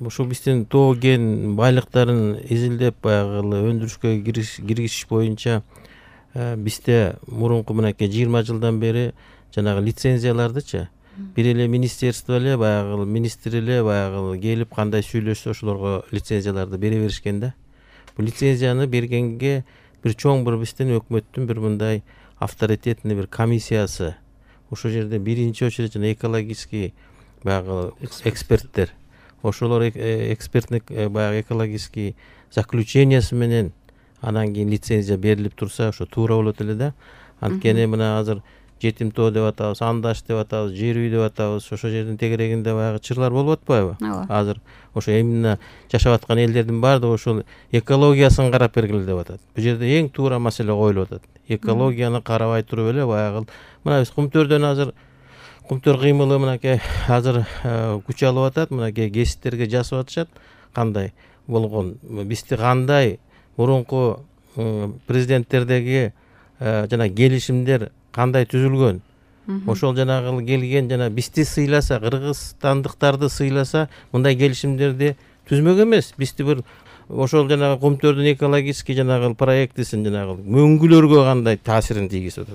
ушул биздин тоо кен байлыктарын изилдеп баягы өндүрүшкө киргизиш боюнча бизде мурунку мынакей 20 жылдан бери жанагы лицензиялардычы бир эле министерство эле баягы министр эле баягы келип кандай сүйлөшсө ошолорго лицензияларды бере беришкен да. Бул лицензияны бергенге бир чоң бир биздин өкмөттүн бир мындай авторитетный бир комиссиясы, ошол жерде биринчи очередь жана экологический баягы эксперттер, ошолор экспертный баягы экологический заключениясы менен анан кийин лицензия берилип турса ошо туура болот эле да. Анткени мына азыр жетим тоо деп атабыз, андаш деп атабыз, жер үй деп атабыз. Ошол жердин тегерегинде баягы чырлар болуп атпайбы? Азыр ошо именно жашап аткан элдердин баардыгы ошол экологиясын карап бергиле деп атат. Бул жерде эң туура маселе коюлуп атат. Экологияны карабай туруп эле баягы мына биз Кумтөрдөн азыр Кумтөр кыймылы мынакей азыр күч алып атат, мынакей гезиттерге жазып атышат кандай болгон. Бизди кандай мурунку президенттердеги жана келишимдер кандай түзүлгөн. Ошол жанагы келген жана бизди сыйласа, кыргызстандыктарды сыйласа, мындай келишимдерди түзмөк эмес. Бизди бир ошол жанагы Кумтөрдүн экологический жанагы проектисин жанагы мөңгүлөргө кандай таасирин тийгизип атат.